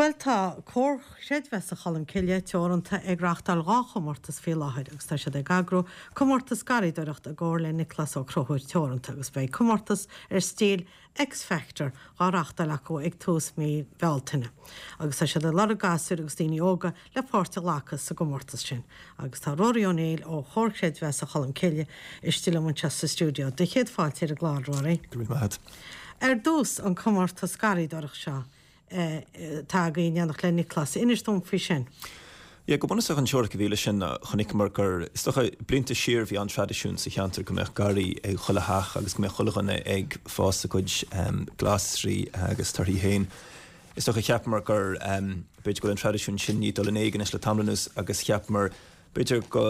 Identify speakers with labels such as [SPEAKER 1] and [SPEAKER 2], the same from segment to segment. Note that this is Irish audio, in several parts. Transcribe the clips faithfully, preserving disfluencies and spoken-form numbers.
[SPEAKER 1] Bhuel tá Comhar Creidmheasa Cholmcille Teoranta ag reáchtáil dhá chomórtas faoi láthair agus tá siad ag eagrú comórtas garraíodóireachta i gcomhar le Nioclás Ó Conchúir Teoranta agus beidh comórtas ar stíl X Factor á reáchtáil acu ag tús mí Bealtaine. Agus tá siad ag lorg gasúir agus daoine óga le páirt a ghlacadh sa gcomórtas sin. Agus tá Rory Ó Néill ó Chomhar Creidmheasa Cholmcille istigh liom anseo sa stiúideo. Do chéad fáilte ar an gclár Rory.
[SPEAKER 2] Go raibh maith.
[SPEAKER 1] Ar dtús an comórtas garraíodóireachta seo. Tá againn déanach le Nioclás inis dom faoi sin.
[SPEAKER 2] Ja go bunúsach an teoiric a bhí leis sin chonaiceamar gur is dócha blianta siar bhí an traidisiún sa cheantar go mbeadh garraí ag chuile theach agus go mbeadh chuile dhuine ag fás a gcuid um, glasraí agus torthaí féin. Is dócha cheapamar gur um, b'fhéidir go bhfuil an traidisiún sin ag dul in éag anois le tamall anuas agus cheapamar b'fhéidir go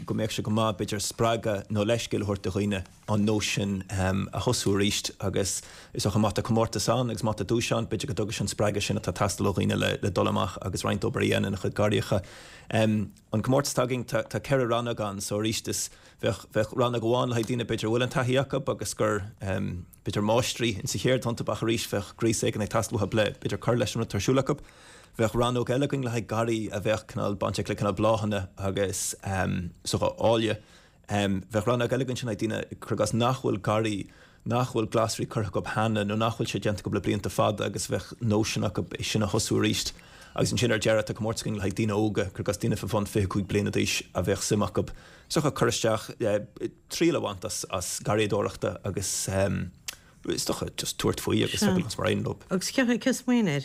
[SPEAKER 2] go mbeadh sé go maith b'fhéidir spreagadh nó leithscéal a thabhairt do dhaoine an nós sin um, a thosú arís agus is dócha má tá comórtas ann agus má tá duais ann b'fhéidir go dtugann sin spreagadh sin atá ag teastáil ó dhaoine le, le dul amach agus roinnt obair a dhéanamh ina chuid garraíocha. Um, an comórtas againn tá, tá ceithre rannóg ann so arís is bheadh bheadh rannóg amháin le haghaidh daoine b'fhéidir bhfuil an taithí acu agus gur um, b'fhéidir máistrí insa cheird iontu ach arís bheadh gríos éigin ag teastáil uathu le b'fhéidir cur leis an rud atá ar siúl acu. Bheadh rannóg eile againn le haghaidh garraí a bheadh cineál bainteach le cineál bláthanna agus um, so áille. Um, bheadh rannóg eile againn sin daoine cuir i gcás nach bhfuil garraí nach bhfuil glasraí curtha acu cheana nó nach bhfuil sé déanta acu le blianta fada agus bheadh nóisean acu é sin a thosú arís. Agus ansin ar deireadh tá comórtas againn le haghaidh daoine óga cuir i gcás daoine fá bhun fiche cúig bliana d'aois a bheadh suim acu. So cur isteach triail a bhaint as, as garraíodóireachta agus um, is dócha just tabhairt faoi agus feiceáil mar aon leo.
[SPEAKER 1] Agus cé cé smaoinigh air?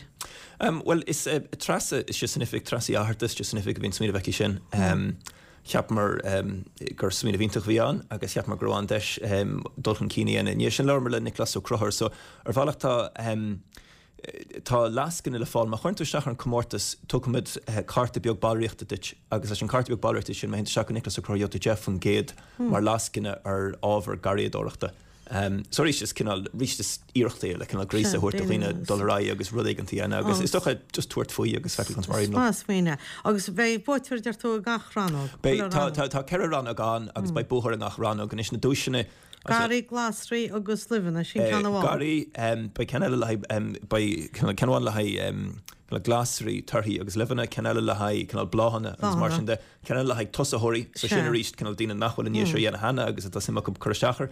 [SPEAKER 2] Um, well is uh, Treasa is sé san oifig Treasa Fhatharta is san oifig a bhíonn smaoineamh aici sin. Um, Cheapamar um, gur smaoineamh iontach a bhí ann agus cheapamar go raibh an deis um, dul chun cinn ina dhiaidh sin labhair le Nioclás Ó Conchúir, so ar bhealach tá um, tá lascaine le fáil má chuireann tú isteach ar an comórtas tugaimid eh, cárta beag ballraíochta duit agus leis an cárta beag ballraíochta sin má théann tú Nioclás Ó Conchúir gheobhaidh tú deich faoin gcéad mar lascaine ar ábhar garraíodóireachta. Um, so arís is cineál arís is iarracht é le cineál gríosadh a thabhairt do dhaoine dul ar aghaidh agus rud éigin a dhéanamh agus is dócha just tabhairt faoi agus feiceáil conas mar a éiríonn leo.
[SPEAKER 1] Maith smaoineamh. Agus beidh buaiteoir deir tú i gach rannóg.
[SPEAKER 2] Beidh tá tá tá ceithre rannóg ann agus beidh buaiteoir i ngach rannóg anois na duaiseanna
[SPEAKER 1] Garraí glasraí agus luibheanna sin ceann amháin.
[SPEAKER 2] Garraí beidh ceann eile le haghaidh beidh ceann amháin le haghaidh le glasraí torthaí agus luibheanna ceann eile le haghaidh cineál bláthanna agus mar sin de ceann eile le haghaidh tosaitheoirí so sin arís cineál daoine nach bhfuil i ndiaidh seo a dhéanamh cheana agus atá suim acu cur isteach air.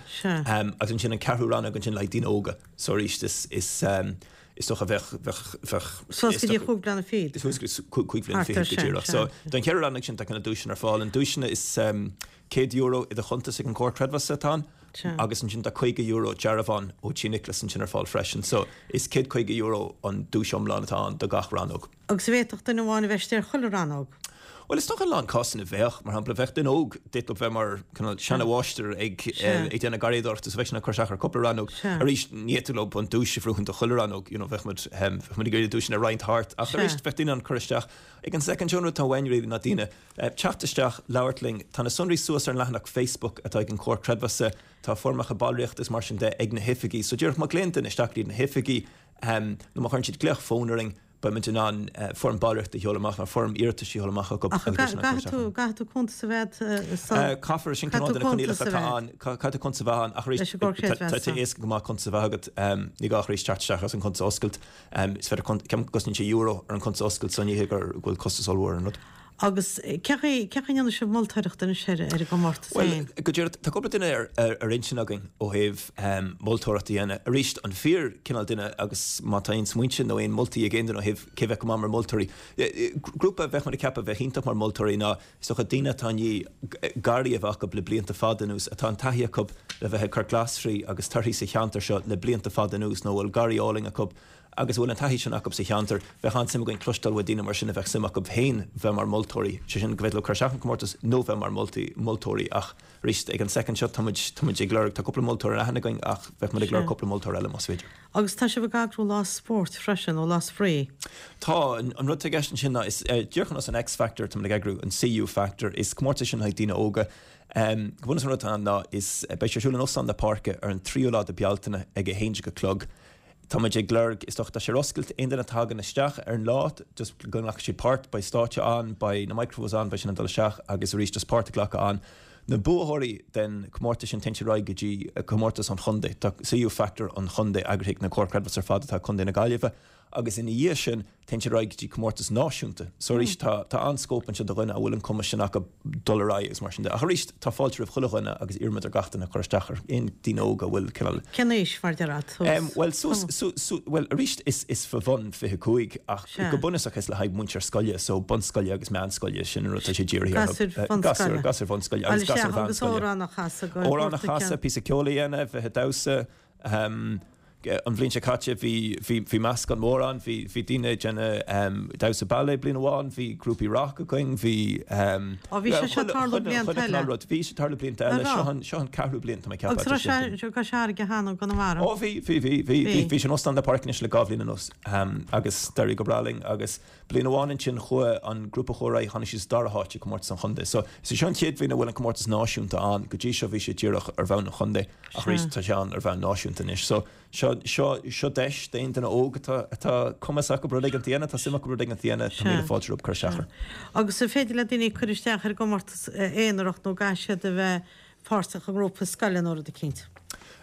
[SPEAKER 2] Agus ansin an ceathrú rannóg ansin le haghaidh daoine óga so arís is is is dócha bheadh bheadh bheadh
[SPEAKER 1] Suas go dtí chúig bliana fichead.
[SPEAKER 2] Suas go dtí cúig bliana fichead go díreach. So don cheithre rannóg sin tá cineál duaiseanna ar fáil an duaiseanna is céad euro i do chuntas ag an gComhar Creidmheasa atá ann agus ansin tá caoga euro dearbhán ó Tí Nioclás ansin ar fáil freisin. So is céad caoga euro an duais iomlán atá ann do gach rannóg.
[SPEAKER 1] Agus bhféadfadh duine amháin a bheith ar chuile rannóg.
[SPEAKER 2] Well is dócha a lán cásanna bheadh mar shampla bheadh duine óg d'fhéadfadh bheith mar seanamháistir ag ag déanamh garraíodóireachta so bheadh sin ag cur isteach ar cúpla rannóg. Arís ní fhéadfadh leo an duais a bhuachan do chuile rannóg, you know, bheadh muid bheadh muid ag iarraidh duaiseanna a roinnt thart ach arís bheadh daoine an cur isteach ag an soicind seo an rud atá uainn really ná daoine teacht isteach labhairt linn tá na sonraí suas ar an leathanach Facebook atá ag an Comhar Creidmheasa tá foirmeacha ballraíochta is mar sin de ag na hoifigí so díreach má ghlaonn duine isteach iad na hoifigí um, nó má chuireann siad glaoch fóin orainn beimid in ann foirm ballraíochta a sheoladh amach nó foirm iarratais a sheoladh amach acu
[SPEAKER 1] Caithfidh tú caithfidh tú cuntas a bheith
[SPEAKER 2] Caithfear sin cineál de na coinníollacha atá ann caithfidh tú cuntas a bheith ann ach arís tá sé éasca go maith cuntas a bheith agat ní gá arís teacht isteach as an cuntas a oscailt is féidir ceapaim go gcosnaíonn sé euro ar an cuntas a oscailt so ní hé gur go bhfuil costas ollmhór an rud.
[SPEAKER 1] Agus cé chaoi cé chaoi ndéanann sibh moltóireacht anois ar ar an gcomórtas
[SPEAKER 2] Well
[SPEAKER 1] féin?
[SPEAKER 2] go díreach tá cúpla duine ar ar ar intinn againn ó thaobh um, moltóireacht a dhéanamh. Arís an fíor cineál duine agus má tá aon smaointe nó aon moltaí ag aon duine ó thaobh cé bheith go maith mar moltóirí. Grúpa bheadh muid ag ceapadh bheith iontach mar moltóirí ná is dócha daoine atá i ndiaidh garraí a bheith acu le blianta fada anuas atá an taithí acu le bheith ag cur glasraí agus torthaí sa cheantar seo le blianta fada anuas nó bhfuil garraí álainn acu agus bhfuil an taithí sin acu sa cheantar bheadh an-suim againn cloisteáil ó daoine mar sin a bheadh suim acu féin bheith mar moltóirí sé sin go bhféadfadh leo cur isteach an comórtas nó bheith mar moltaí moltóirí ach arís ag an soicind seo táimid táimid ag lorg tá cúpla moltóir ar aithne againn ach bheadh muid ag lorg cúpla moltóir eile más féidir.
[SPEAKER 1] Agus tá sibh ag eagrú lá spóirt freisin nó lá spraoi.
[SPEAKER 2] Tá an an rud atá i gceist ansin ná is uh, díreach ar nós an X Factor tá ag eagrú an CU Factor is comórtas sin le haghaidh daoine óga. Um, go bunúsach an rud atá ann ná is beidh sé ar siúl in Óstán na Páirce ar an tríú lá de Bealtaine ag a haon déag a chlog. Tá muid ag lorg is dócha tá sé ar oscailt aon duine tagann isteach ar an lá just go nglacfaidh siad páirt beidh stáitse ann beidh na microphones ann beidh sin an dul isteach agus arís just páirt a ghlacadh ann. Na buaiteoirí den comórtas sin téann siad ar aghaidh go dtí comórtas an chontae Tá CU Factor an chontae eagraithe na Comhar Creidmheasa ar fad atá Contae na Gaillimhe agus ina dhiaidh sin Téann siad ar aghaidh go dtí comórtas náisiúnta. So arís tá tá an-scóip anseo do dhuine a bhfuil an cumas sin acu dul ar aghaidh agus mar sin de. Ach arís tá fáilte roimh chuile dhuine agus iarraimid ar gach duine cur isteach ar aon daoine óga a bhfuil cineál.
[SPEAKER 1] Cén aois mar déarfá
[SPEAKER 2] suas? Bhuel suas su su bhuel arís is is fá bhun fiche cúig ach go bunúsach is le haghaidh múinteoir scoile so bunscoile agus meánscoile sin an rud tá sé dírithe
[SPEAKER 1] orthu. Gasúir bhunscoile.
[SPEAKER 2] Gasúir bhunscoile agus gasúir
[SPEAKER 1] mheánscoile. Agus amhrán
[SPEAKER 2] a chasadh. Amhrán a chasadh, píosa ceoil a dhéanamh, bheith ag damhsa. An bhliain seo caite bhí bhí bhí meascán mór ann, bhí bhí daoine ag déanamh damhsa ballet bliain amháin, bhí grúpaí rock againn, bhí
[SPEAKER 1] Ó bhí sé seo ag tarlú blianta eile?
[SPEAKER 2] Rud, bhí sé ag tarlú blianta eile, seo an seo an ceathrú bliain tá mé ag ceapadh.
[SPEAKER 1] Agus raibh sé go searg cheana i
[SPEAKER 2] gConamara? Ó bhí bhí bhí bhí bhí bhí sé in Óstán na Páirce anois le dhá bhliain anuas agus d'éirigh go breá linn agus bliain amháin ansin chuaigh an grúpa a chuaigh ar aghaidh tháinig siad sa dara háit i gcomórtas an chontae. So is é seo an chéad bhliain a bhfuil an comórtas náisiúnta ann, go dtí seo bhí sé díreach ar bhonn an chontae. Ach arís tá sé ann ar bhonn náisiúnta anois. So seo, seo, seo deis d'aon duine óg atá, atá cumas acu rud éigin a dhéanamh, tá suim acu rud éigin a dhéanamh, tá míle fáilte rompu cur isteach air.
[SPEAKER 1] Agus an féidir le daoine cur isteach ar an gcomórtas aonarach nó caithfidh siad a bheith páirteach i ngrúpa scoile nó rud eicínt?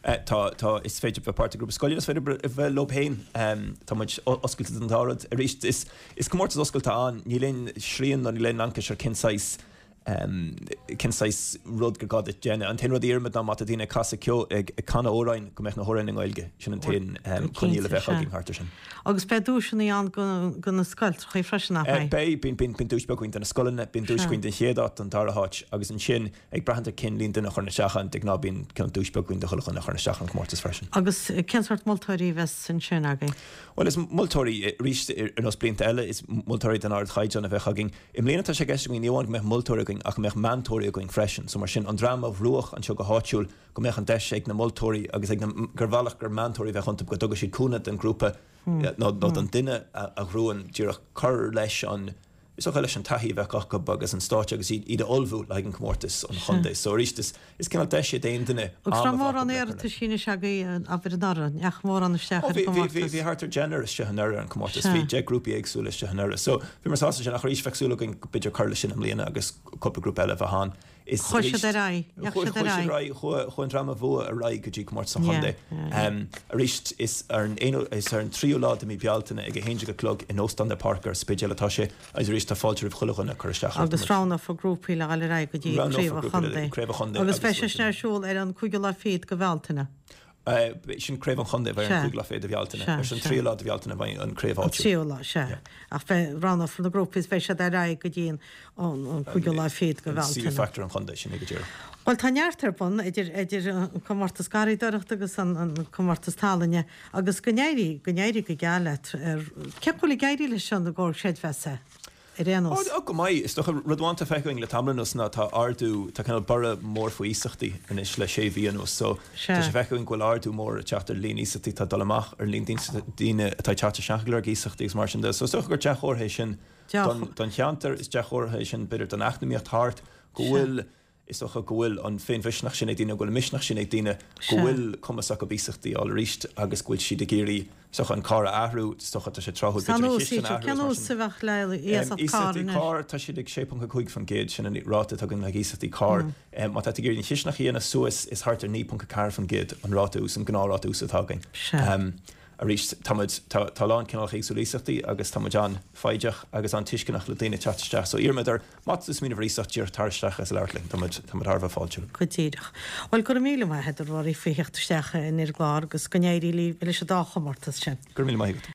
[SPEAKER 2] Tá, tá, is féidir bheith páirteach i ngrúpa scoile, is féidir bheith leo féin. Tá muid oscailte don dá rud. Arís, is, is comórtas oscailte ann, níl aon srian nó níl aon laincis ar cén saghas, cén saghas rud gur gá duit déanamh. An t-aon rud a iarraimid ná má tá daoine ag casadh ceoil, ag canadh amhráin, go mbeadh na hamhráin i nGaeilge. Sin an t-aon choinníoll a bheadh againn thart air sin.
[SPEAKER 1] Agus beidh duaiseanna ann do na scoilteachaí freisin, nach
[SPEAKER 2] mbeidh? Beidh. Bíonn, bíonn, bíonn duais beag againn do na scoileanna, bíonn duais againn don chéad áit, don dara háit agus ansin ag brath ar cén líon duine a chuireann isteach ann, de ghnáth bíonn cineál duais beag againn do chuile dhuine a chuireann isteach ar an chomórtas freisin.
[SPEAKER 1] Agus cén sórt moltóirí a bheas ansin agaibh?
[SPEAKER 2] Bhuel, is moltóirí, arís, ar nós blianta eile, is moltóirí den ardchaighdeán a bheadh againn. I mbliana tá sé i gceist againn ní amháin go mbeadh moltóirí againn ach go mbeadh meantóirí againn freisin. So mar sin, an dream a bhuafadh anseo go háitiúil, go mbeadh an deis ag na moltóirí agus ag na, gur bhealach gur meantóirí a bheadh iontu, go dtugadh siad cúnamh don ghrúpa nó don duine a bhuann díreach cur leis an, Is dócha leis an taithí a bheadh acu agus an stáitse agus iad a ullmhú le haghaidh an comórtas an chontae. So arís is is cineál deis é d'aon duine
[SPEAKER 1] Agus am a raibh bheith acu mórán le cur leis. iarrataisí anois agaibh abair anuraidh, ndeachaigh mórán isteach
[SPEAKER 2] Ó
[SPEAKER 1] ar
[SPEAKER 2] bhí
[SPEAKER 1] an
[SPEAKER 2] bhí bhí
[SPEAKER 1] gcomórtas?
[SPEAKER 2] bhí thart ar deichniúr istigh anuraidh ar an comórtas.
[SPEAKER 1] Sea.
[SPEAKER 2] Bhí deich grúpaí éagsúla istigh anuraidh. So bhíomar sásta sin ach arís bheadh súil againn b'fhéidir cur leis sin i mbliana agus cúpla grúpa eile a bheith ann.
[SPEAKER 1] Is Chuaigh siad ar aghaidh.
[SPEAKER 2] Chuaigh siad ar aghaidh. Chuaigh an dream a bhuaigh ar aghaidh go dtí comórtas an chontae. Arís, is ar an aonú, is ar an tríú lá de mhí Bealtaine ag a haon déag a chlog in Óstán de Páirc ar an Spidéal atá sé agus arís tá fáilte roimh chuile dhuine cur isteach
[SPEAKER 1] air. Agus roghnófar grúpaí le dhul ar aghaidh go dtí Craobh an Chontae. Agus beidh sé sin ar siúl ar an cúigiú lá fichead de Bhealtaine.
[SPEAKER 2] Sin Craobh an Chontae a bheidh ar an cúigiú lá fichead de Bhealtaine. Ar an tríú lá de Bhealtaine a bheidh an craobh
[SPEAKER 1] áitiúil. An tríú lá, sea. Ach beidh, roghnófar na grúpaí is beidh siad ar aghaidh go dtí an cúigiú lá fichead de Bhealtaine.
[SPEAKER 2] An CU Factor an Chontae, sin é go díreach.
[SPEAKER 1] Bhuel, tá neart ar bun idir idir an comórtas garraíodóireachta agus an comórtas tallainne agus go n-éirí, go n-éirí go geal leat. Cén chaoi a bhfuil ag éirí leis an gcomhar creidmheasa? ar aon nós.
[SPEAKER 2] Ó, go maith. Is dócha, rud amháin atá feicthe againn le tamall anuas ná tá ardú, tá cineál borradh mór faoi iasachtaí anois le sé mhí anuas. So, tá sé feicthe againn go bhfuil ardú mór ag teacht ar líon iasachtaí atá ag dul amach, ar líon daoine atá ag teacht isteach ag lorg iasachtaí agus mar sin de. So, is dócha gur dea-chomhartha é sin don cheantar, is dea-chomhartha é sin b'fhéidir don eacnamaíocht thart, go bhfuil, Is dócha go bhfuil an féinmhisneach sin ag daoine, go bhfuil an misneach sin ag daoine, go bhfuil cumas acu iasachtaí a fháil arís agus go bhfuil siad ag iarraidh, is dócha, an carr a athrú, is dócha, tá sé tráthúil b'fhéidir an chistin a athrú
[SPEAKER 1] agus mar sin. Cén ús a bheadh le
[SPEAKER 2] iasacht
[SPEAKER 1] cairr
[SPEAKER 2] anois? Iasachtaí cairr, tá siad ag sé ponc a cúig faoin gcéad, sin an ráta atá againn le haghaidh iasachtaí cairr. Má tá tú ag iarraidh an chisteanach a dhéanamh suas, is thart ar naoi ponc a ceathair faoin gcéad an ráta ús, an gnáthráta ús atá againn. Arís, tá muid, tá, tá a lán cineálacha éagsúla iasachtaí agus tá muid an-fhoighdeach agus an-tuisceanach le daoine teacht isteach. So iarraimid ar, má tá tú ag smaoineamh ar iasacht, díreach tar isteach agus labhairt linn. Tá muid, tá muid thar a bheith fáiltiúil.
[SPEAKER 1] Go díreach. Bhuel, go raibh míle maith agat a Ruairí faoi theacht isteach ar an gclár agus go n-éirí libh leis an dá chomórtas sin.
[SPEAKER 2] Go raibh míle maith agat.